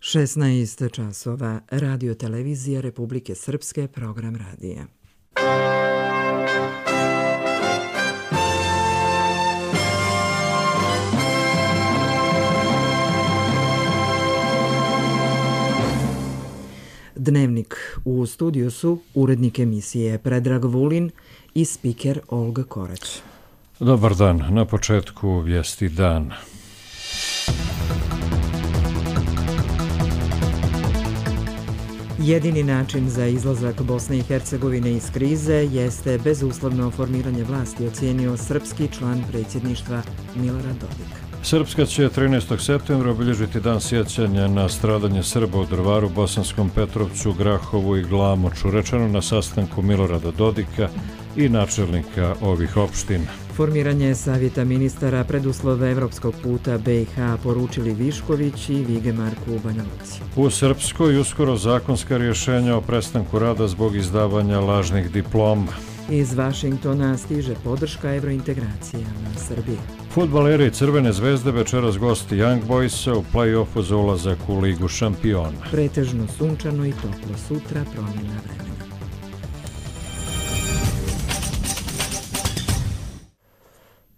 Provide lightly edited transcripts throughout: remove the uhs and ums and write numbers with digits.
16 časova, Radio televizija Republike Srpske, program radija. Dnevnik. U studiju su urednik emisije Predrag Vulin i spiker Olga Korać. Dobar dan. Na početku vijesti dan. Jedini način za izlazak Bosne i Hercegovine iz krize jeste bezuslovno formiranje vlasti, ocijenio srpski član predsjedništva Milorad Dodik. Srpska će 13. septembra obilježiti dan sjećanja na stradanje Srba u Drvaru, Bosanskom Petrovcu, Grahovu i Glamoču, rečeno na sastanku Milorada Dodika i načelnika ovih opština. Formiranje savjeta ministara preduslove evropskog puta BiH poručili Višković i Vigemarku u Banja Luci. U Srpskoj uskoro zakonska rješenja o prestanku rada zbog izdavanja lažnih diploma. Iz Vašingtona stiže podrška evrointegracijama Srbije. Fudbaleri Crvene zvezde večeras gosti Young Boysa u play-offu za ulazak u Ligu šampiona. Pretežno sunčano i toplo, sutra promjena vremena.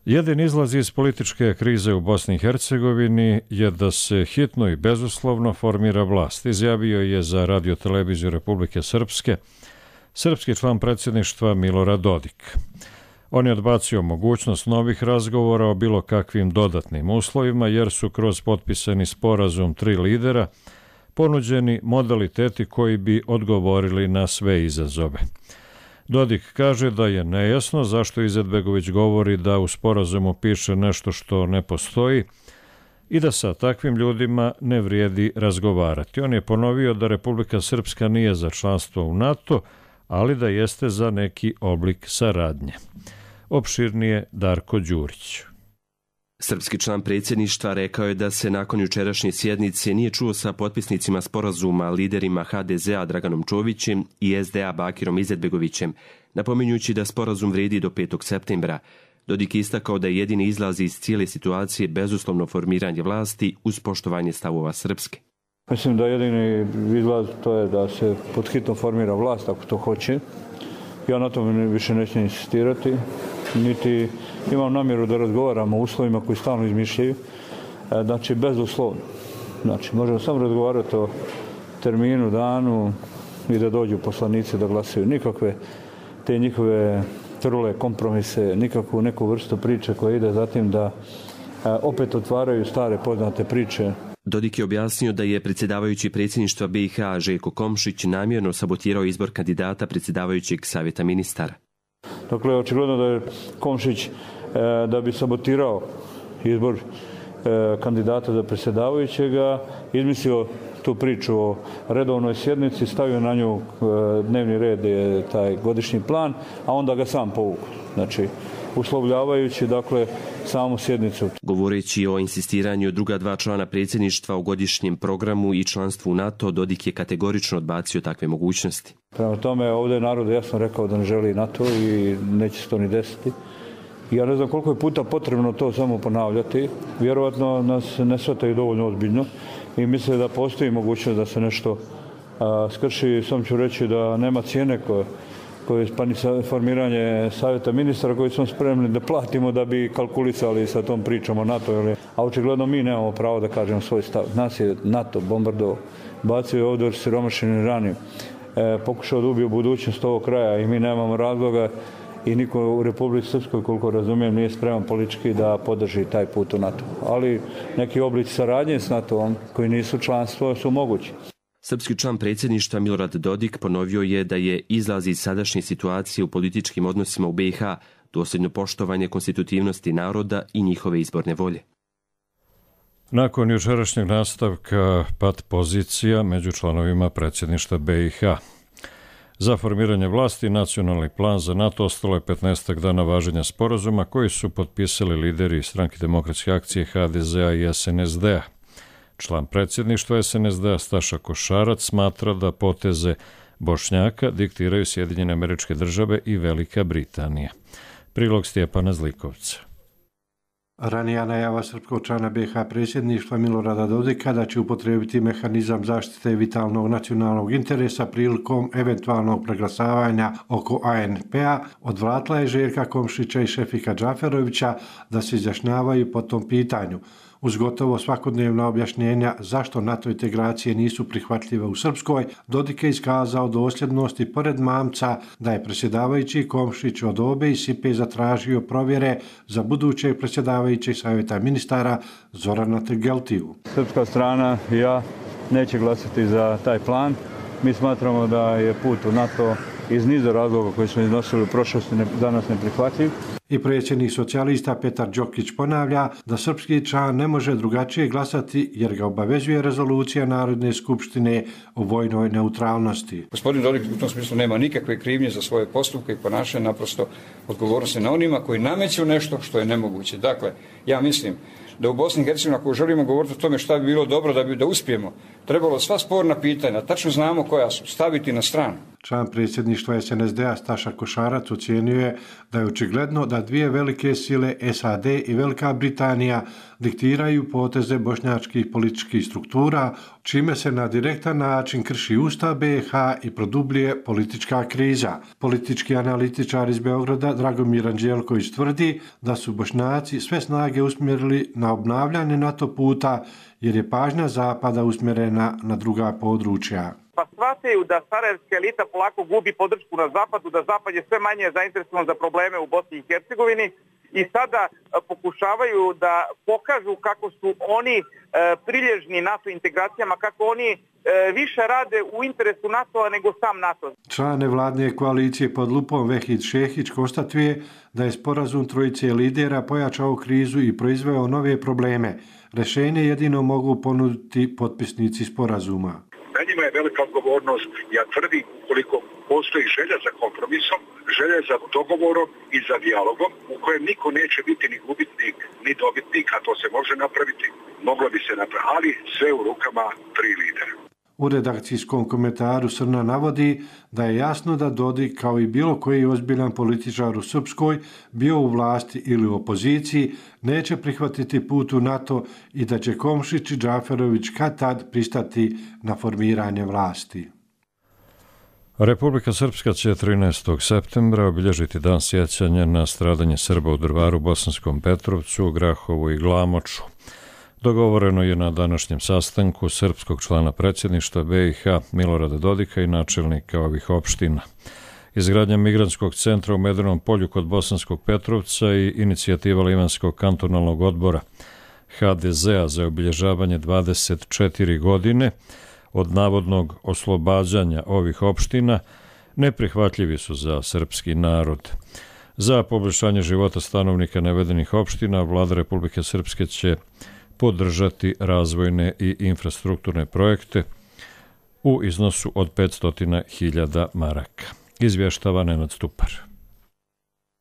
Jedini izlaz iz političke krize u Bosni i Hercegovini je da se hitno i bezuslovno formira vlast, izjavio je za Radio televiziju Republike Srpske srpski član predsjedništva Milorad Dodik. On je odbacio mogućnost novih razgovora o bilo kakvim dodatnim uslovima, jer su kroz potpisani sporazum 3 lidera ponuđeni modaliteti koji bi odgovorili na sve izazove. Dodik kaže da je nejasno zašto Izetbegović govori da u sporazumu piše nešto što ne postoji i da sa takvim ljudima ne vrijedi razgovarati. On je ponovio da Republika Srpska nije za članstvo u NATO, ali da jeste za neki oblik saradnje. Opširnije Darko Đurić. Srpski član predsjedništva rekao je da se nakon jučerašnje sjednice nije čuo sa potpisnicima sporazuma liderima HDZ-a Draganom Čovićem i SDA Bakirom Izetbegovićem, napominjući da sporazum vrijedi do 5. septembra. Dodik je istakao da je jedini izlaz iz cijele situacije bezuslovno formiranje vlasti uz poštovanje stavova Srpske. Mislim da jedini izlaz to je da se pod hitno formira vlast ako to hoće. Ja na tome više neću insistirati, niti imam namjeru da razgovaramo o uslovima koji stalno izmišljaju. Znači, bezuslovno. Znači, možemo samo razgovarati o terminu, danu i da dođu poslanici da glasaju. Nikakve te njihove trule kompromise, nikakvu neku vrstu priče koja ide za tim da opet otvaraju stare poznate priče. Dodik je objasnio da je predsjedavajući predsjedništva BiH Željko Komšić namjerno sabotirao izbor kandidata predsjedavajućeg savjeta ministara. Dakle, očigledno da je Komšić da bi sabotirao izbor kandidata za predsjedavajućega izmislio tu priču o redovnoj sjednici, stavio na nju dnevni red, je taj godišnji plan, a onda ga sam povukao. Znači, uslovljavajući, dakle, samu sjednicu. Govoreći o insistiranju druga 2 člana predsjedništva u godišnjem programu i članstvu u NATO, Dodik je kategorično odbacio takve mogućnosti. Prema tome, ovdje je narod jasno rekao da ne želi NATO i neće se to ni desiti. Ja ne znam koliko je puta potrebno to samo ponavljati. Vjerovatno nas ne shvataju dovoljno ozbiljno i misle da postoji mogućnost da se nešto skrši. Sam ću reći da nema cijene koje je formiranje savjeta ministara koji smo spremni da platimo da bi kalkulisali sa tom pričom o NATO. A očigledno mi nemamo pravo da kažemo svoj stav. Nas je NATO bombardovao, bacio je ovdje siromašeni Iran, pokušao da ubije budućnost ovog kraja i mi nemamo razloga i niko u Republici Srpskoj, koliko razumijem, nije spreman politički da podrži taj put u NATO. Ali neki oblici saradnje s NATO-om koji nisu članstvo su mogući. Srpski član predsjedništva Milorad Dodik ponovio je da je izlaz iz sadašnje situacije u političkim odnosima u BiH dosljedno poštovanje konstitutivnosti naroda i njihove izborne volje. Nakon jučerašnjeg nastavka pad pozicija među članovima predsjedništva BiH. Za formiranje vlasti nacionalni plan za NATO ostalo je 15 dana važenja sporazuma koji su potpisali lideri Stranke demokratske akcije HDZ-a i SNSD-a. Član predsjedništva SNSD-a Staša Košarac smatra da poteze Bošnjaka diktiraju Sjedinjene Američke Države i Velika Britanija. Prilog Stjepana Zlikovca. Ranija najava srpskog člana BiH predsjedništva Milorada Dodika da će upotrijebiti mehanizam zaštite vitalnog nacionalnog interesa prilikom eventualnog preglasavanja oko ANP-a odvratila je Željka Komšića i Šefika Džaferovića da se izjašnjavaju po tom pitanju. Uz gotovo svakodnevna objašnjenja zašto NATO integracije nisu prihvatljive u Srpskoj, Dodik je iskazao dosljednost i pored mamca da je predsjedavajući Komšić od obe i Sipe zatražio provjere za budućeg predsjedavajućeg savjeta ministara Zorana Tegeltiju. Srpska strana i ja neće glasati za taj plan. Mi smatramo da je put u NATO iz niza razloga koji smo iznosili u prošlosti danas neprihvatljiv. I predsjednik socijalista Petar Đokić ponavlja da srpski član ne može drugačije glasati jer ga obavezuje rezolucija Narodne skupštine o vojnoj neutralnosti. Gospodin Dodik u tom smislu nema nikakve krivnje za svoje postupke i ponašanje, naprosto odgovornost je na onima koji nameću nešto što je nemoguće. Dakle, ja mislim da u Bosni i Hercegovini, ako želimo govoriti o tome šta bi bilo dobro da uspijemo, trebalo sva sporna pitanja, tačno znamo koja su, staviti na stranu. Član predsjedništva SNSD-a Staša Košarac ocijenio je da je očigledno da dvije velike sile SAD i Velika Britanija diktiraju poteze bošnjačkih političkih struktura, čime se na direktan način krši Ustav BiH i produbljuje politička kriza. Politički analitičar iz Beograda Dragomir Anđelković tvrdi da su Bošnjaci sve snage usmjerili na obnavljanje NATO puta jer je pažnja Zapada usmjerena na druga područja. Pa shvataju da sarajevska elita polako gubi podršku na Zapadu, da Zapad je sve manje zainteresovan za probleme u Bosni i Hercegovini i sada pokušavaju da pokažu kako su oni prilježni NATO integracijama, kako oni više rade u interesu NATO-a nego sam NATO. Član nevladne koalicije pod lupom Vehid Šehić konstatuje da je sporazum trojice lidera pojačao krizu i proizveo nove probleme. Rješenje jedino mogu ponuditi potpisnici sporazuma. Na njima je velika odgovornost, ja tvrdim, koliko postoji želja za kompromisom, želja za dogovorom i za dijalogom u kojem niko neće biti ni gubitnik, ni dobitnik, a to se može napraviti, moglo bi se napraviti, ali sve u rukama tri lidera. U redakcijskom komentaru Srna navodi da je jasno da Dodik, kao i bilo koji ozbiljan političar u Srpskoj, bio u vlasti ili u opoziciji, neće prihvatiti put u NATO i da će Komšić i Džaferović kad tad pristati na formiranje vlasti. Republika Srpska će 13. septembra obilježiti dan sjećanja na stradanje Srba u Drvaru, Bosanskom Petrovcu, Grahovu i Glamoču. Dogovoreno je na današnjem sastanku srpskog člana predsjedništva BiH Milorada Dodika i načelnika ovih opština. Izgradnja migrantskog centra u Medenom polju kod Bosanskog Petrovca i inicijativa Livanskog kantonalnog odbora HDZ-a za obilježavanje 24 godine od navodnog oslobađanja ovih opština neprihvatljivi su za srpski narod. Za poboljšanje života stanovnika navedenih opština Vlada Republike Srpske će podržati razvojne i infrastrukturne projekte u iznosu od 500.000 maraka. Izvještava Nenad Stupar.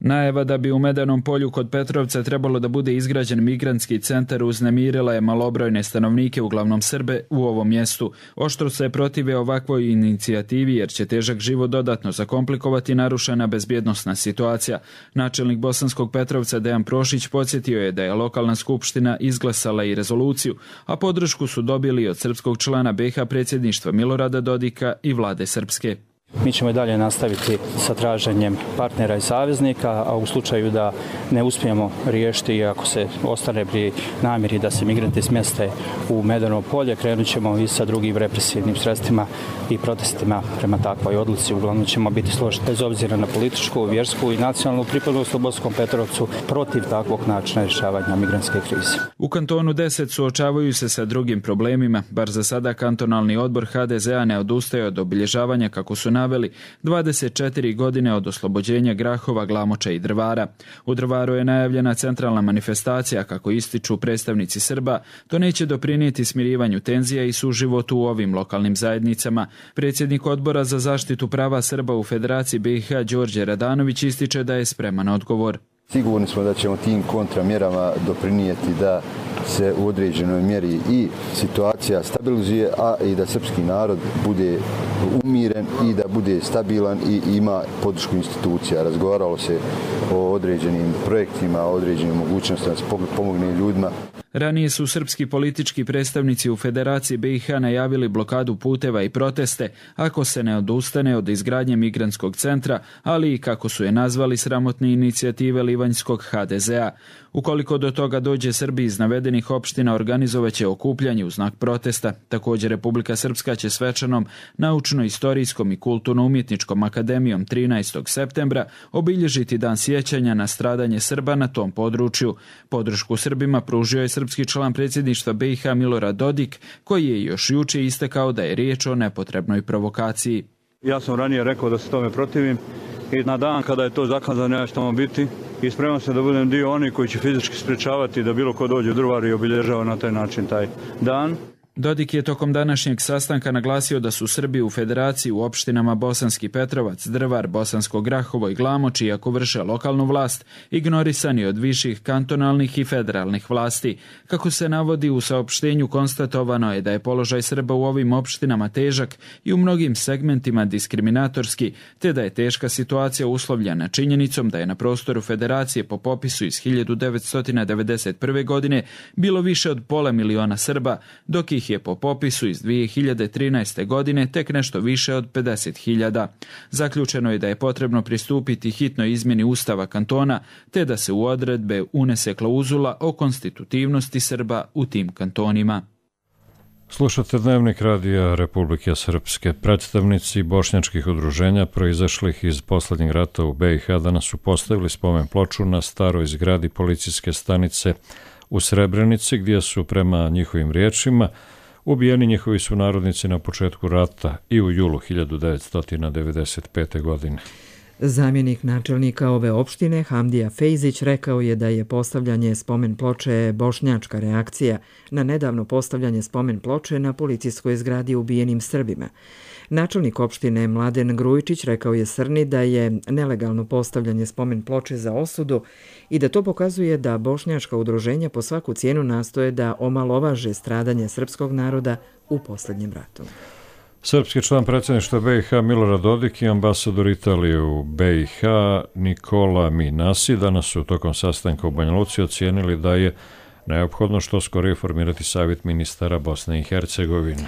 Najava da bi u Medenom polju kod Petrovca trebalo da bude izgrađen migrantski centar uznemirila je malobrojne stanovnike, uglavnom Srbe, u ovom mjestu. Oštro se protive ovakvoj inicijativi jer će težak život dodatno zakomplikovati narušena bezbjednosna situacija. Načelnik Bosanskog Petrovca Dejan Prošić podsjetio je da je lokalna skupština izglasala i rezoluciju, a podršku su dobili od srpskog člana BiH predsjedništva Milorada Dodika i vlade Srpske. Mi ćemo i dalje nastaviti sa traženjem partnera i saveznika, a u slučaju da ne uspijemo riješiti i ako se ostane pri namjeri da se migranti smjeste u Medeno polje, krenut ćemo i sa drugim represivnim sredstvima i protestima prema takvoj odluci. Uglavnom ćemo biti složeni bez obzira na političku, vjersku i nacionalnu pripadnost u Bosanskom Petrovcu protiv takvog načina rješavanja migrantske krize. U kantonu 10 suočavaju se sa drugim problemima. Bar za sada kantonalni odbor HDZ-a ne odustaje od obilježavanja, kako su naveli, 24 godine od oslobođenja Grahova, Glamoča i Drvara. U Drvaru je najavljena centralna manifestacija, kako ističu predstavnici Srba. To neće doprinijeti smirivanju tenzija i suživotu u ovim lokalnim zajednicama. Predsjednik odbora za zaštitu prava Srba u Federaciji BiH Đorđe Radanović ističe da je spreman odgovor. Sigurni smo da ćemo tim kontramjerama doprinijeti da se u određenoj mjeri i situacija stabilizuje, a i da srpski narod bude umiren i da bude stabilan i ima podršku institucija. Razgovaralo se o određenim projektima, o određenim mogućnostima da se pomogne ljudima. Ranije su srpski politički predstavnici u Federaciji BiH najavili blokadu puteva i proteste ako se ne odustane od izgradnje migrantskog centra, ali i kako su je nazvali sramotne inicijative livanjskog HDZ-a. Ukoliko do toga dođe, Srbi iz navedenih opština organizovaće okupljanje u znak protesta. Također Republika Srpska će svečanom naučno-istorijskom i kulturno-umjetničkom akademijom 13. septembra obilježiti dan sjećanja na stradanje Srba na tom području. Podršku Srbima pružio je srpski član predsjedništva BiH Milorad Dodik, koji je još juče istakao da je riječ o nepotrebnoj provokaciji. Ja sam ranije rekao da se tome protivim i na dan kada je to zakazano ja ću tamo biti i spreman se da budem dio onih koji će fizički sprečavati da bilo ko dođe u Drvar i obilježava na taj način taj dan. Dodik je tokom današnjeg sastanka naglasio da su Srbi u Federaciji u opštinama Bosanski Petrovac, Drvar, Bosansko Grahovo i Glamoč, iako vrše lokalnu vlast, ignorisani od viših kantonalnih i federalnih vlasti. Kako se navodi u saopštenju, konstatovano je da je položaj Srba u ovim opštinama težak i u mnogim segmentima diskriminatorski, te da je teška situacija uslovljena činjenicom da je na prostoru Federacije po popisu iz 1991. godine bilo više od 500.000 Srba, dok ih je po popisu iz 2013. godine tek nešto više od 50.000. Zaključeno je da je potrebno pristupiti hitnoj izmjeni Ustava kantona, te da se u odredbe unese klauzula o konstitutivnosti Srba u tim kantonima. Slušate Dnevnik radija Republike Srpske. Predstavnici bošnjačkih udruženja proizašlih iz poslednjeg rata u BiH danas su postavili spomen ploču na staroj zgradi policijske stanice u Srebrenici, gdje su prema njihovim riječima ubijeni njihovi sunarodnici na početku rata i u julu 1995. godine. Zamjenik načelnika ove opštine Hamdija Fejzić rekao je da je postavljanje spomen ploče bošnjačka reakcija na nedavno postavljanje spomen ploče na policijskoj zgradi ubijenim Srbima. Načelnik opštine Mladen Grujičić rekao je Srni da je nelegalno postavljanje spomen ploče za osudu i da to pokazuje da bošnjačka udruženja po svaku cijenu nastoje da omalovaže stradanje srpskog naroda u posljednjem ratu. Srpski član predsjedništva BiH Milorad Dodik i ambasador Italije u BiH Nikola Minasi danas su tokom sastanka u Banja Luci ocijenili da je neophodno što skorije formirati savjet ministara Bosne i Hercegovine.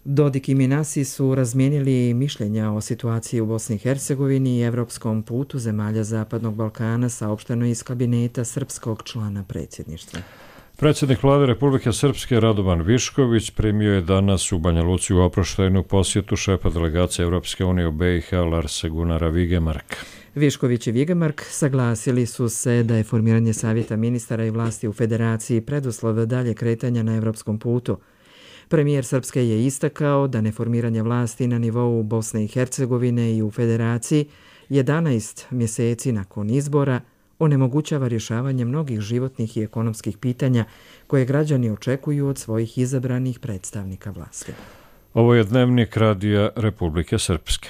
Dodik i Minasi su razmijenili mišljenja o situaciji u Bosni i Hercegovini i evropskom putu zemalja Zapadnog Balkana, saopšteno iz kabineta srpskog člana predsjedništva. Predsjednik vlade Republike Srpske Radovan Višković primio je danas u Banja Luci u oproštajnu posjetu šefa delegacije Europske unije u BiH Larsa Gunnara Vigemarka. Višković i Vigemark saglasili su se da je formiranje savjeta ministara i vlasti u Federaciji preduslov dalje kretanja na evropskom putu. Premijer Srpske je istakao da neformiranje vlasti na nivou Bosne i Hercegovine i u Federaciji 11 mjeseci nakon izbora onemogućava rješavanje mnogih životnih i ekonomskih pitanja koje građani očekuju od svojih izabranih predstavnika vlasti. Ovo je Dnevnik radija Republike Srpske.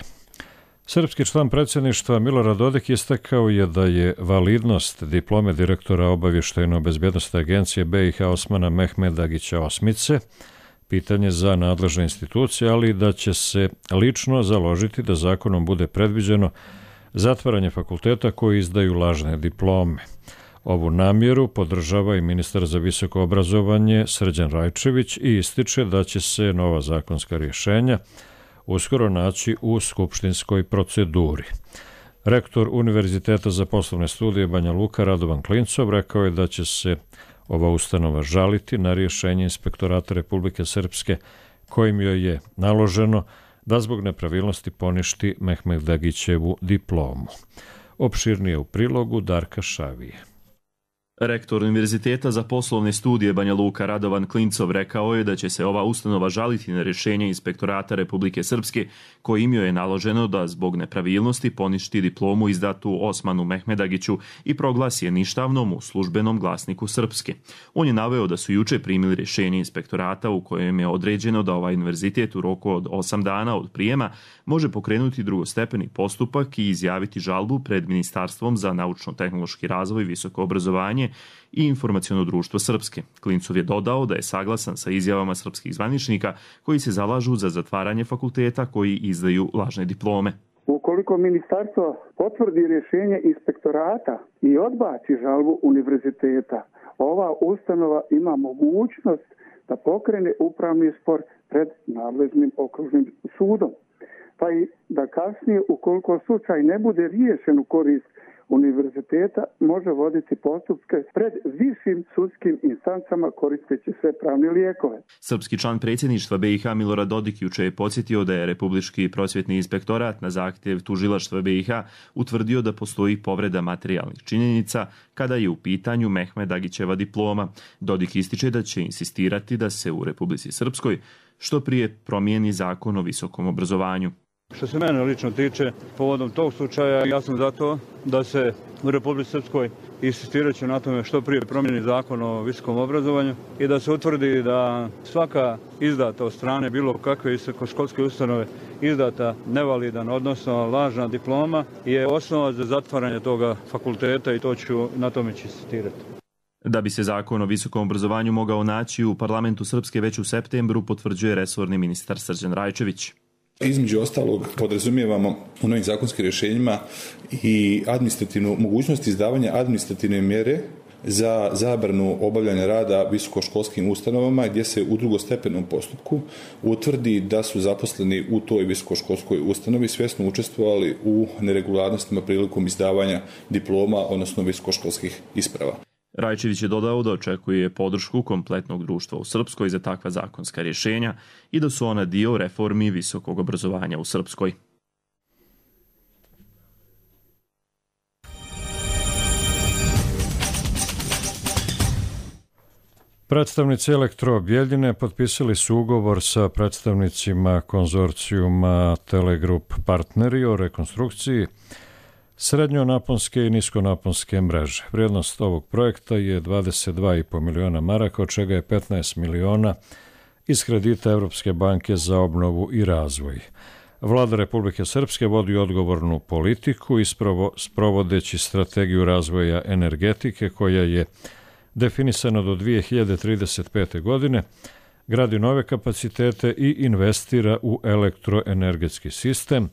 Srpski član predsjedništva Milorad Dodik istakao je da je validnost diplome direktora obavještajno-bezbjednosne agencije BiH Osmana Mehmedagića Osmice pitanje za nadležne institucije, ali da će se lično založiti da zakonom bude predviđeno zatvaranje fakulteta koji izdaju lažne diplome. Ovu namjeru podržava i ministar za visoko obrazovanje Srđan Rajčević i ističe da će se nova zakonska rješenja uskoro naći u skupštinskoj proceduri. Rektor Univerziteta za poslovne studije Banja Luka Radovan Klincov rekao je da će se ova ustanova žaliti na rješenje Inspektorata Republike Srpske kojim joj je naloženo da zbog nepravilnosti poništi Mehmedagićevu diplomu. Opširnije u prilogu Darka Šavije. Rektor Univerziteta za poslovne studije Banja Luka Radovan Klincov rekao je da će se ova ustanova žaliti na rješenje Inspektorata Republike Srpske kojim joj je naloženo da zbog nepravilnosti poništi diplomu izdatu Osmanu Mehmedagiću i proglasi je ništavnom u službenom glasniku Srpske. On je naveo da su juče primili rješenje Inspektorata u kojem je određeno da ovaj univerzitet u roku od 8 dana od prijema može pokrenuti drugostepeni postupak i izjaviti žalbu pred Ministarstvom za naučno-tehnološki razvoj, visoko obrazovanje i informaciono društvo Srpske. Klincov je dodao da je saglasan sa izjavama srpskih zvaničnika koji se zalažu za zatvaranje fakulteta koji izdaju lažne diplome. Ukoliko ministarstvo potvrdi rješenje Inspektorata i odbaci žalbu univerziteta, ova ustanova ima mogućnost da pokrene upravni spor pred nadležnim okružnim sudom. Pa i da kasnije, ukoliko slučaj ne bude riješen u korist univerziteta, može voditi postupke pred višim sudskim instancama koristeći sve pravne lijekove. Srpski član predsjedništva BiH Milorad Dodik juče je podsjetio da je Republički prosvjetni inspektorat na zahtjev tužilaštva BiH utvrdio da postoji povreda materijalnih činjenica kada je u pitanju Mehmedagićeva diploma. Dodik ističe da će insistirati da se u Republici Srpskoj što prije promijeni zakon o visokom obrazovanju. Što se mene lično tiče, povodom tog slučaja, ja sam za to da se u Republici Srpskoj insistirajući na tome što prije promijeni zakon o visokom obrazovanju i da se utvrdi da svaka izdata od strane bilo kakve visokoškolske ustanove izdata nevalidan, odnosno lažna diploma je osnova za zatvaranje toga fakulteta i na tome ću insistirati. Da bi se zakon o visokom obrazovanju mogao naći u parlamentu Srpske već u septembru, potvrđuje resorni ministar Srđan Rajčević. Između ostalog podrazumijevamo u novim zakonskim rješenjima i administrativnu mogućnost izdavanja administrativne mjere za zabranu obavljanja rada visokoškolskim ustanovama gdje se u drugostepenom postupku utvrdi da su zaposleni u toj visokoškolskoj ustanovi svjesno učestvovali u neregularnostima prilikom izdavanja diploma, odnosno visokoškolskih isprava. Rajčević je dodao da očekuje podršku kompletnog društva u Srpskoj za takva zakonska rješenja i da su ona dio reformi visokog obrazovanja u Srpskoj. Predstavnici Elektro-Bjeljine potpisali su ugovor sa predstavnicima konzorcijuma Telegrup partneri o rekonstrukciji srednjonaponske i niskonaponske mreže. Vrijednost ovog projekta je 22,5 miliona maraka, od čega je 15 miliona iz kredita Evropske banke za obnovu i razvoj. Vlada Republike Srpske vodi odgovornu politiku ispravo sprovodeći strategiju razvoja energetike koja je definisana do 2035. godine, gradi nove kapacitete i investira u elektroenergetski sistem.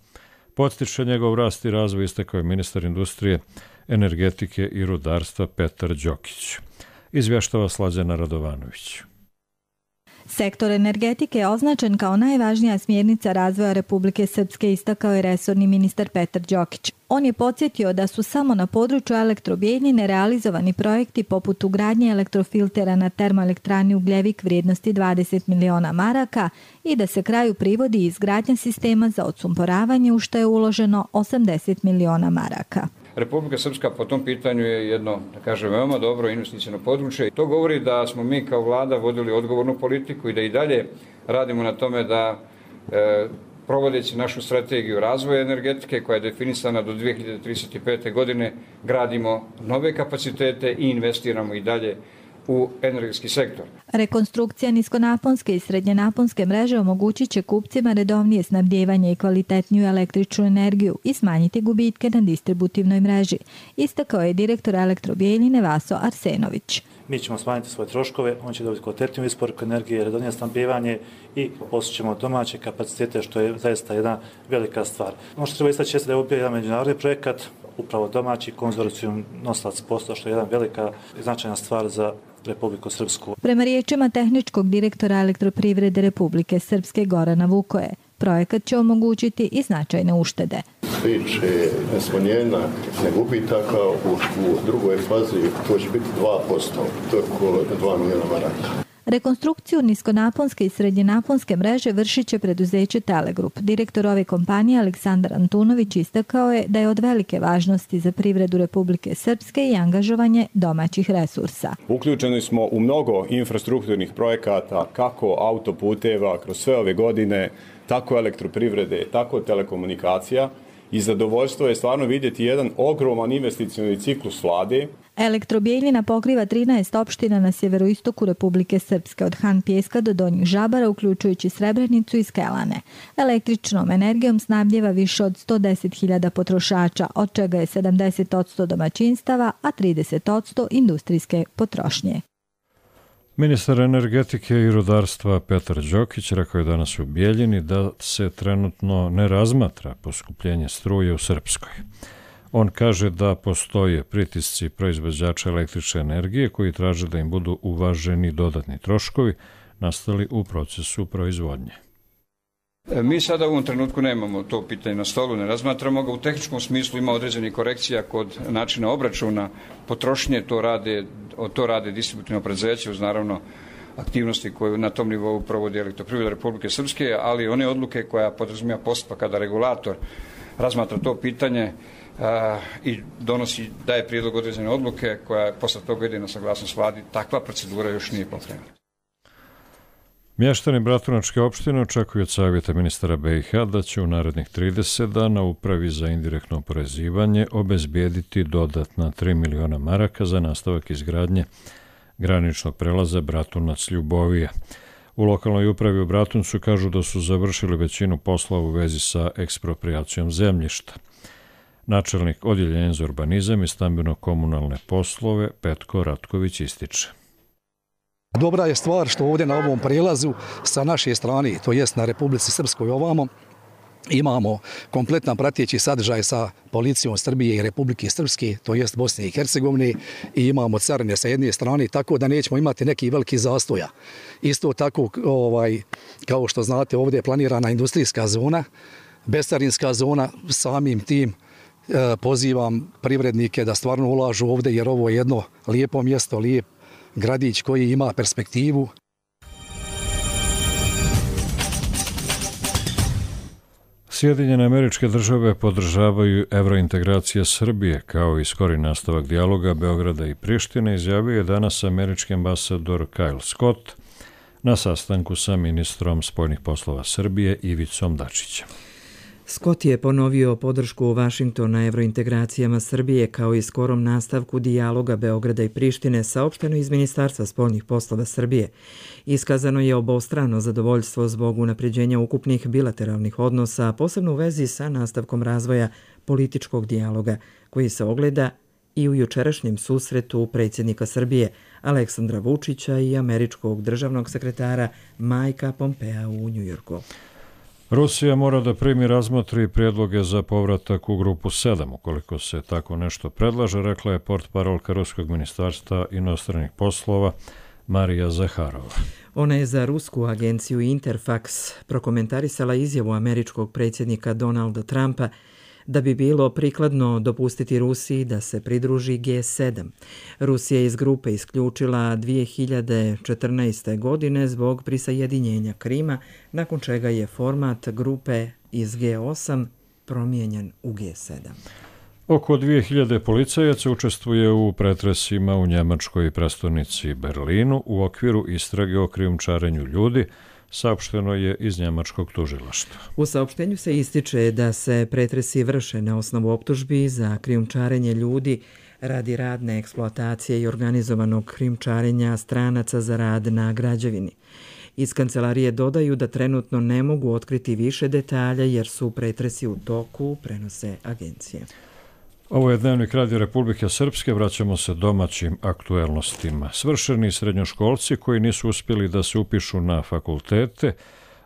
Podstiče njegov rast i razvoj, istakao je ministar industrije, energetike i rudarstva Petar Đokić. Izvještava Slađana Radovanović. Sektor energetike je označen kao najvažnija smjernica razvoja Republike Srpske, istakao je resorni ministar Petar Đokić. On je podsjetio da su samo na području Elektro-Bjeljine realizovani projekti poput ugradnje elektrofiltera na termoelektrani Ugljevik vrijednosti 20 miliona maraka i da se kraju privodi izgradnja sistema za odsumporavanje u što je uloženo 80 miliona maraka. Republika Srpska po tom pitanju je jedno, da kažem, veoma dobro investicijno područje. To govori da smo mi kao vlada vodili odgovornu politiku i da i dalje radimo na tome da provodeći našu strategiju razvoja energetike koja je definisana do 2035. godine gradimo nove kapacitete i investiramo i dalje u energetski sektor. Rekonstrukcija niskonaponske i srednjenaponske mreže omogućit će kupcima redovnije snabdijevanje i kvalitetniju električnu energiju i smanjiti gubitke na distributivnoj mreži, istakao je direktor Elektro-Bjeljine Vaso Arsenović. Mi ćemo smanjiti svoje troškove, on će dobiti kvalitetniju isporuku energije, redovnije snabdijevanje i postićemo domaće kapacitete, što je zaista jedna velika stvar. Ono što treba istaći je da je ovo jedan međunarodni projekat, upravo domaći konzorcijum nosilac posla, što je jedna velika i značajna stvar za Republiku Srpsku. Prema riječima tehničkog direktora Elektroprivrede Republike Srpske Gorana Vukoje, projekat će omogućiti i značajne uštede. Tiče smanjenja gubitaka u drugoj fazi, to će biti 2%, to je oko 2 miliona maraka. Rekonstrukciju niskonaponske i srednjenaponske mreže vršit će preduzeće Telegrup. Direktor ove kompanije Aleksandar Antunović istakao je da je od velike važnosti za privredu Republike Srpske i angažovanje domaćih resursa. Uključeni smo u mnogo infrastrukturnih projekata, kako autoputeva kroz sve ove godine, tako elektroprivrede, tako telekomunikacija. I zadovoljstvo je stvarno vidjeti jedan ogroman investicioni ciklus vlade. Elektrobijeljina pokriva 13 opština na sjeveroistoku Republike Srpske, od Han Pjeska do Donjih Žabara, uključujući Srebrenicu i Skelane. Električnom energijom snabdjeva više od 110.000 potrošača, od čega je 70% domaćinstava, a 30% industrijske potrošnje. Ministar energetike i rudarstva Petar Đokić rekao je danas u Bijeljini da se trenutno ne razmatra poskupljenje struje u Srpskoj. On kaže da postoje pritisci proizvođača električne energije koji traže da im budu uvaženi dodatni troškovi nastali u procesu proizvodnje. Mi sada u ovom trenutku nemamo to pitanje na stolu, ne razmatramo ga. U tehničkom smislu ima određenih korekcija kod načina obračuna potrošnje, to rade distributivno preduzeće uz naravno aktivnosti koje na tom nivou provodi Elektroprivreda Republike Srpske, ali one odluke koja podrazumijeva postupak kada regulator razmatra to pitanje i daje prijedlog određene odluke koja posle toga ide na saglasnost vladi, takva procedura još nije pokrenuta. Mještani Bratunačke opštine očekuju od savjeta ministara BiH da će u narednih 30 dana Upravi za indirektno oporezivanje obezbijediti dodatna 3 miliona maraka za nastavak izgradnje graničnog prelaza Bratunac-Ljubovija. U lokalnoj upravi u Bratuncu kažu da su završili većinu posla u vezi sa eksproprijacijom zemljišta. Načelnik odjeljenja za urbanizam i stambeno-komunalne poslove Petko Ratković ističe. Dobra je stvar što ovdje na ovom prijelazu sa naše strane, to jest na Republici Srpskoj ovamo, imamo kompletan prateći sadržaj sa policijom Srbije i Republike Srpske, to jest Bosne i Hercegovine, i imamo carine sa jedne strane, tako da nećemo imati neki veliki zastoja. Isto tako, kao što znate, ovdje je planirana industrijska zona, bescarinska zona, samim tim pozivam privrednike da stvarno ulažu ovdje, jer ovo je jedno lijepo mjesto, lijep gradić koji ima perspektivu. Sjedinjene Američke Države podržavaju evrointegracije Srbije kao i skori nastavak dijaloga Beograda i Prištine, izjavio je danas američki ambasador Kyle Scott na sastanku sa ministrom spoljnih poslova Srbije Ivicom Dačićem. Scott je ponovio podršku Vašingtona evrointegracijama Srbije kao i skorom nastavku dijaloga Beograda i Prištine, saopšteno iz Ministarstva spoljnih poslova Srbije. Iskazano je obostrano zadovoljstvo zbog unapređenja ukupnih bilateralnih odnosa, posebno u vezi sa nastavkom razvoja političkog dijaloga, koji se ogleda i u jučerašnjem susretu predsjednika Srbije Aleksandra Vučića i američkog državnog sekretara Mikea Pompea u Njujorku. Rusija mora da primi, razmotri prijedloge za povratak u grupu 7. Ukoliko se tako nešto predlaže, rekla je portparolka Ruskog ministarstva inostranih poslova Marija Zaharova. Ona je za rusku agenciju Interfax prokomentarisala izjavu američkog predsjednika Donalda Trumpa da bi bilo prikladno dopustiti Rusiji da se pridruži G7. Rusija je iz grupe isključila 2014. godine zbog prisajedinjenja Krima, nakon čega je format grupe iz G8 promijenjen u G7. Oko 2000 policajaca učestvuje u pretresima u njemačkoj prestonici Berlinu u okviru istrage o krijumčarenju ljudi, saopšteno je iz njemačkog tužilaštva. U saopštenju se ističe da se pretresi vrše na osnovu optužbi za krijumčarenje ljudi radi radne eksploatacije i organizovanog krijumčarenja stranaca za rad na građevini. Iz kancelarije dodaju da trenutno ne mogu otkriti više detalja jer su pretresi u toku, prenose agencije. Ovo je Dnevnik Radio Republike Srpske, vraćamo se domaćim aktuelnostima. Svršeni srednjoškolci koji nisu uspjeli da se upišu na fakultete,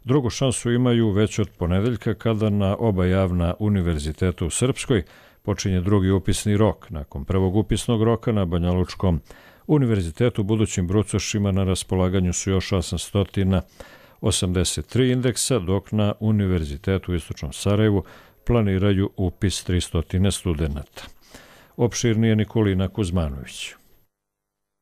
drugu šansu imaju već od ponedeljka kada na oba javna univerziteta u Srpskoj počinje drugi upisni rok. Nakon prvog upisnog roka na Banjalučkom univerzitetu budućim brucošima na raspolaganju su još 883 indeksa, dok na Univerzitetu u Istočnom Sarajevu planiraju upis 300 studenata. Opširnije Nikolina Kuzmanović.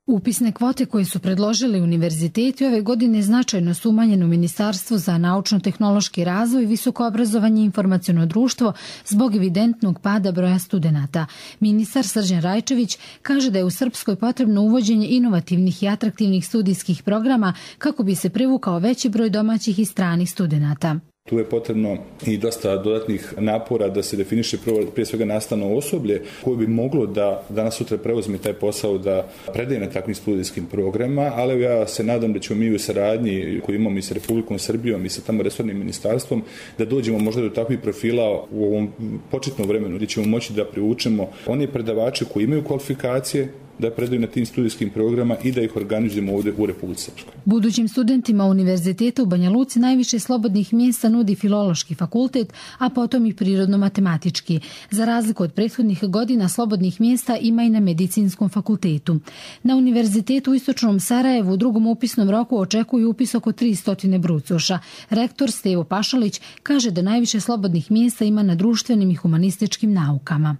Upisne kvote koje su predložili univerziteti ove godine značajno su umanjene u Ministarstvu za naučno-tehnološki razvoj, visoko obrazovanje i informaciono društvo zbog evidentnog pada broja studenata. Ministar Srđan Rajčević kaže da je u Srpskoj potrebno uvođenje inovativnih i atraktivnih studijskih programa kako bi se privukao veći broj domaćih i stranih studenata. Tu je potrebno i dosta dodatnih napora da se definiše prije svega nastavno osoblje koje bi moglo da danas sutra preuzme taj posao da predaje na takvim studijskim programima, ali ja se nadam da ćemo mi u saradnji koju imamo i sa Republikom Srbijom i sa tamo resornim ministarstvom da dođemo možda do takvih profila u ovom početnom vremenu gdje ćemo moći da privučemo one predavače koji imaju kvalifikacije da predaju na tim studijskim programama i da ih organizujemo ovdje u Republici Srpskoj. Budućim studentima Univerziteta u Banja Luci najviše slobodnih mjesta nudi Filološki fakultet, a potom i Prirodno-matematički. Za razliku od prethodnih godina slobodnih mjesta ima i na Medicinskom fakultetu. Na Univerzitetu u Istočnom Sarajevu u drugom upisnom roku očekuju upis oko 300 brucoša. Rektor Stevo Pašalić kaže da najviše slobodnih mjesta ima na društvenim i humanističkim naukama.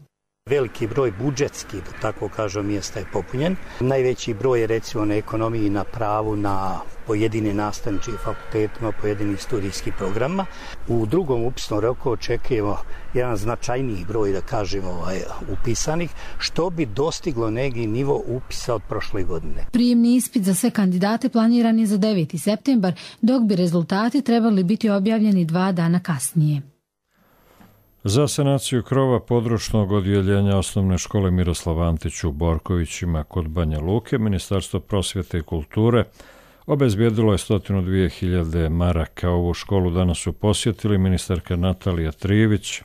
Veliki broj budžetskih, da tako kažem, mjesta je popunjen. Najveći broj je recimo na ekonomiji, na pravu, na pojedini nastavnički fakultetima, pojedinih studijskih programa. U drugom upisnom roku očekujemo jedan značajniji broj, da kažemo, upisanih, što bi dostiglo neki nivo upisa od prošle godine. Prijemni ispit za sve kandidate planiran je za 9. septembar, dok bi rezultati trebali biti objavljeni 2 dana kasnije. Za sanaciju krova područnog odjeljenja osnovne škole Miroslav Antić u Borkovićima kod Banja Luke, Ministarstvo prosvjete i kulture obezbijedilo je 102.000 maraka. Ovu školu danas su posjetili ministarka Natalija Trivić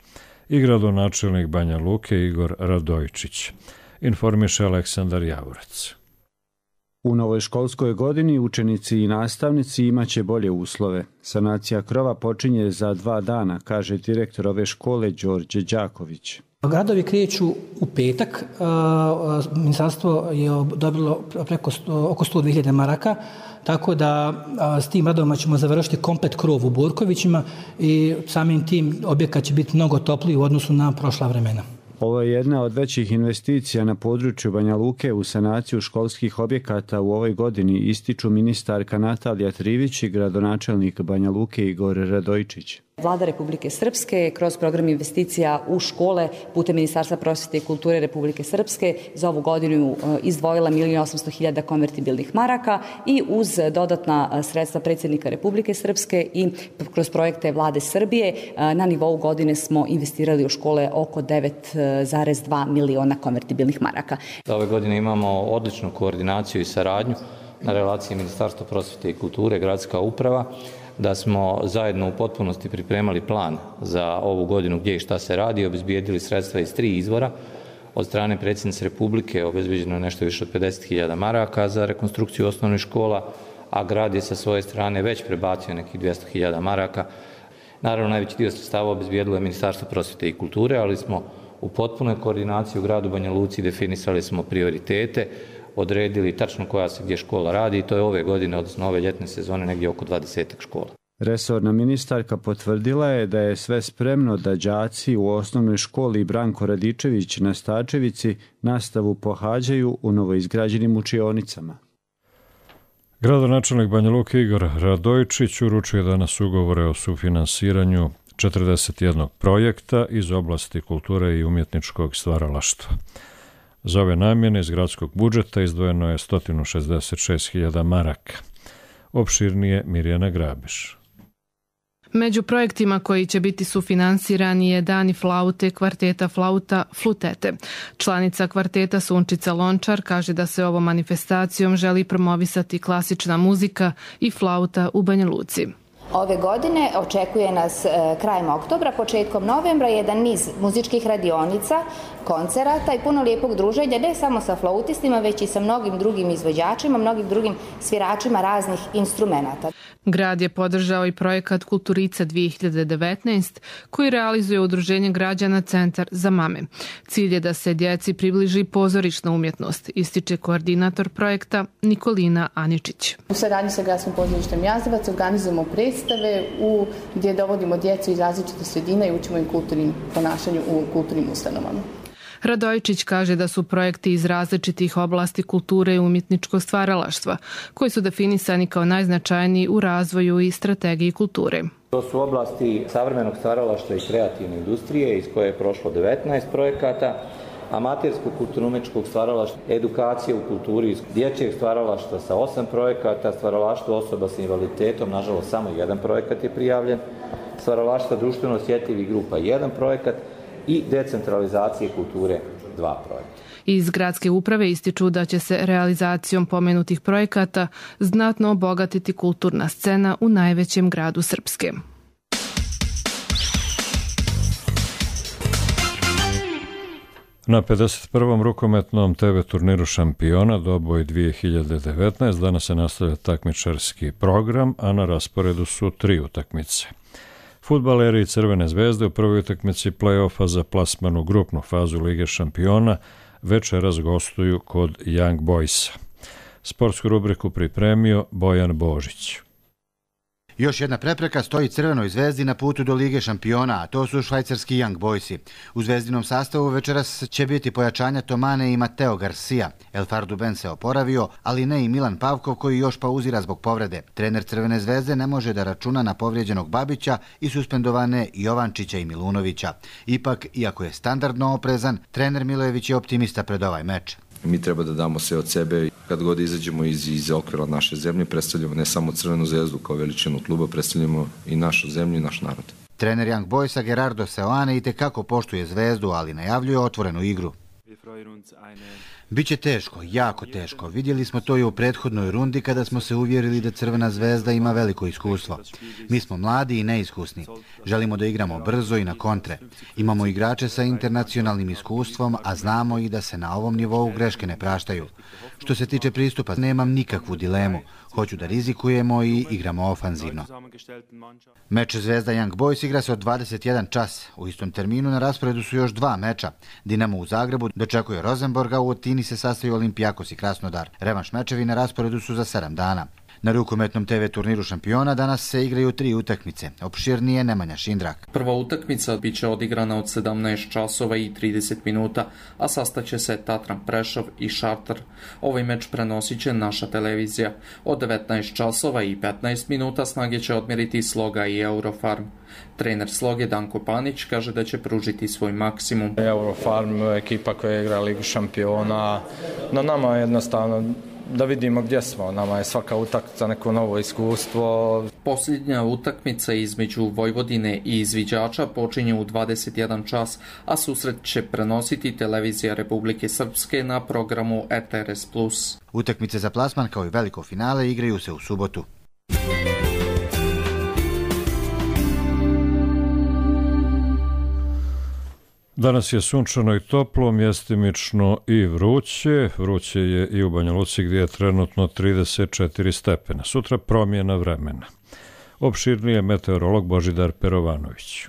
i gradonačelnik Banja Luke Igor Radojčić. Informiše Aleksandar Javorec. U novoj školskoj godini učenici i nastavnici imaće bolje uslove. Sanacija krova počinje za 2 dana, kaže direktor ove škole Đorđe Đaković. Gradovi kreću u petak. Ministarstvo je dobilo oko 102.000 maraka, tako da s tim radovima ćemo završiti komplet krov u Borkovićima i samim tim objekat će biti mnogo topliji u odnosu na prošla vremena. Ovo je jedna od većih investicija na području Banja Luke u sanaciju školskih objekata u ovoj godini, ističu ministarka Natalija Trivić i gradonačelnik Banja Luke Igor Radojčić. Vlada Republike Srpske je kroz program investicija u škole putem Ministarstva prosvjete i kulture Republike Srpske za ovu godinu izdvojila 1.800.000 konvertibilnih maraka i uz dodatna sredstva predsjednika Republike Srpske i kroz projekte Vlade Srbije na nivou godine smo investirali u škole oko 9,2 miliona konvertibilnih maraka. Ove godine imamo odličnu koordinaciju i saradnju na relaciji Ministarstva prosvjete i kulture, gradska uprava, da smo zajedno u potpunosti pripremali plan za ovu godinu gdje i šta se radi, obezbijedili sredstva iz 3 izvora. Od strane predsjednice Republike obezbijeđeno je nešto više od 50.000 maraka za rekonstrukciju osnovnih škola, a grad je sa svoje strane već prebacio nekih 200.000 maraka. Naravno, najveći dio sredstava obezbijedilo je Ministarstvo prosvjete i kulture, ali smo u potpunoj koordinaciji u gradu Banja Luci definisali smo prioritete, odredili tačno koja se gdje škola radi i to je ove godine, odnosno ove ljetne sezone, negdje oko 20 škola. Resorna ministarka potvrdila je da je sve spremno da đaci u osnovnoj školi Branko Radičević na Stačevici nastavu pohađaju u novoizgrađenim učionicama. Gradonačelnik Banja Luke Igor Radojčić uručuje danas ugovore o sufinansiranju 41 projekta iz oblasti kulture i umjetničkog stvaralaštva. Za ove namjene iz gradskog budžeta izdvojeno je 166.000 maraka. Opširnije Mirjana Grabiš. Među projektima koji će biti sufinansirani je Dani flaute kvarteta Flauta Flutete. Članica kvarteta Sunčica Lončar kaže da se ovom manifestacijom želi promovisati klasična muzika i flauta u Banja Luci. Ove godine očekuje nas krajem oktobra, početkom novembra jedan niz muzičkih radionica, koncerata i puno lijepog druženja, ne samo sa flautistima, već i sa mnogim drugim izvođačima, mnogim drugim sviračima raznih instrumenata. Grad je podržao i projekat Kulturica 2019 koji realizuje Udruženje građana Centar za mame. Cilj je da se djeci približi pozorišna umjetnost, ističe koordinator projekta Nikolina Aničić. U saradnji sa Gradskim pozorištem Jazavac organizujemo predstave gdje dovodimo djecu iz različitih sredina i učimo im kulturnim ponašanju u kulturnim ustanovama. Radojičić kaže da su projekti iz različitih oblasti kulture i umjetničkog stvaralaštva, koji su definisani kao najznačajniji u razvoju i strategiji kulture. To su oblasti savremenog stvaralaštva i kreativne industrije iz koje je prošlo 19 projekata, amaterskog kulturno-umjetničkog stvaralaštva, edukacije u kulturi, dječjeg stvaralaštva sa 8 projekata, stvaralaštvo osoba sa invaliditetom, nažalost samo jedan projekat je prijavljen, stvaralaštva društveno osjetljivih grupa 1 projekat i decentralizacije kulture 2 projekta. Iz gradske uprave ističu da će se realizacijom pomenutih projekata znatno obogatiti kulturna scena u najvećem gradu Srpske. Na 51. rukometnom TV turniru šampiona Doboj 2019 danas se nastavlja takmičarski program, a na rasporedu su 3 utakmice. Fudbaleri Crvene zvezde u prvoj utakmici play-offa za plasman u grupnu fazu Lige šampiona večeras gostuju kod Young Boysa. Sportsku rubriku pripremio Bojan Božić. Još jedna prepreka stoji Crvenoj zvezdi na putu do Lige šampiona, a to su švajcarski Young Boysi. U zvezdinom sastavu večeras će biti pojačanja Tomane i Mateo Garcia. El Farduben se oporavio, ali ne i Milan Pavkov koji još pauzira zbog povrede. Trener Crvene zvezde ne može da računa na povrijeđenog Babića i suspendovane Jovančića i Milunovića. Ipak, iako je standardno oprezan, trener Milojević je optimista pred ovaj meč. Mi treba da damo sve od sebe. Kad god izađemo iz okvira naše zemlje, predstavljamo ne samo Crvenu zvezdu kao veličinu kluba, predstavljamo i našu zemlju i naš narod. Trener Young Boysa Gerardo Seoane itekako poštuje zvezdu, ali najavljuje otvorenu igru. Biće teško, jako teško. Vidjeli smo to i u prethodnoj rundi kada smo se uvjerili da Crvena zvezda ima veliko iskustvo. Mi smo mladi i neiskusni. Želimo da igramo brzo i na kontre. Imamo igrače sa internacionalnim iskustvom, a znamo i da se na ovom nivou greške ne praštaju. Što se tiče pristupa, nemam nikakvu dilemu. Hoću da rizikujemo i igramo ofanzivno. Meč Zvezda Young Boys igra se od 21 čas. U istom terminu na rasporedu su još 2 meča. Dinamo u Zagrebu dočekuje Rosenborga, u Otini se sastaju Olimpijakos i Krasnodar. Revanš mečevi na rasporedu su za 7 dana. Na rukometnom TV turniru šampiona danas se igraju 3 utakmice. Opširnije Nemanja Šindrak. Prva utakmica biće odigrana od 17 časova i 30 minuta, a sastaće se Tatran Prešov i Šartar. Ovaj meč prenosit će naša televizija. Od 19 časova i 15 minuta snage će odmjeriti Sloga i Eurofarm. Trener Sloge Danko Panić kaže da će pružiti svoj maksimum. Eurofarm, ekipa koja igra Ligu šampiona, na nama je jednostavno da vidimo gdje smo. Nama je svaka utakmica neko novo iskustvo. Posljednja utakmica između Vojvodine i izviđača počinje u 21 čas, a susret će prenositi televizija Republike Srpske na programu ETRS+. Utakmice za plasman kao i veliko finale igraju se u subotu. Danas je sunčano i toplo, mjestimično i vruće. Vruće je i u Banja Luci gdje je trenutno 34 stepena. Sutra promjena vremena. Opširnije meteorolog Božidar Perovanović.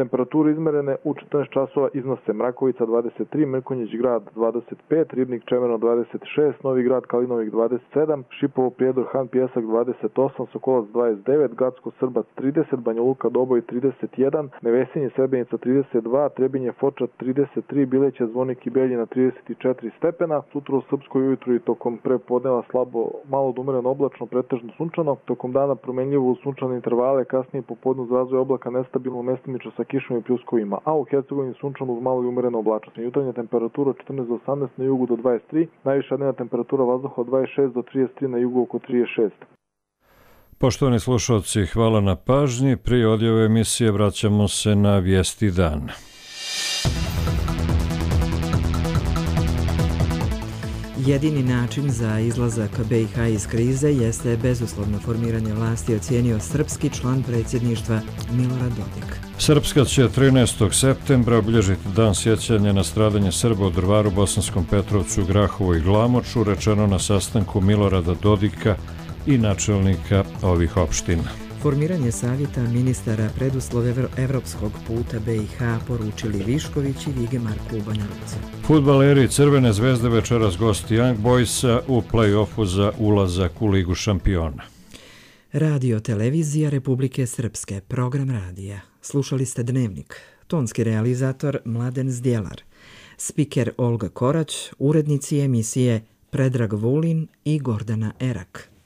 Temperature izmerene u 14 časova iznose Mrakovica 23, Mrkonjić grad 25, Ribnik Čemerno 26, Novi grad Kalinovik 27, Šipovo Prijedor Han Pjesak 28, Sokolac 29, Gacko Srbac 30, Banja Luka Doboj 31, Nevesinje Srebrenica 32, Trebinje Foča 33, Bileće Zvonik i Beljina 34 stepena. Sutra u Srpskoj ujutru i tokom prepodneva slabo malo od umereno oblačno, pretežno sunčano, tokom dana promenljivo u sunčane intervale, kasnije popodne uz razvoj oblaka nestabilno mestimično sa kišom i pljuskovima, a u Hercegovini sunčano uz malo i umereno oblačnost. Jutarnja temperatura 14 do 18, na jugu do 23, najviša dnevna temperatura vazduha od 26 do 33, na jugu oko 36. Poštovani slušalci, hvala na pažnji. Prije odjave emisije vraćamo se na vijesti dana. Jedini način za izlazak BiH iz krize jeste bezuslovno formiranje vlasti, ocijenio srpski član predsjedništva Milorad Dodik. Srpska će 13. septembra obilježiti dan sjećanja na stradanje Srba u Drvaru, Bosanskom Petrovcu, Grahovu i Glamoču, rečeno na sastanku Milorada Dodika i načelnika ovih opština. Formiranje savjeta ministara preduslov evropskog puta BiH poručili Višković i Vige Marku u Banja Luci. Fudbaleri Crvene zvezde večeras gosti Young Boysa u play-offu za ulazak u Ligu šampiona. Radio Televizija Republike Srpske, program radija. Slušali ste Dnevnik. Tonski realizator Mladen Zdjelar. Spiker Olga Korać, urednici emisije Predrag Vulin i Gordana Erak.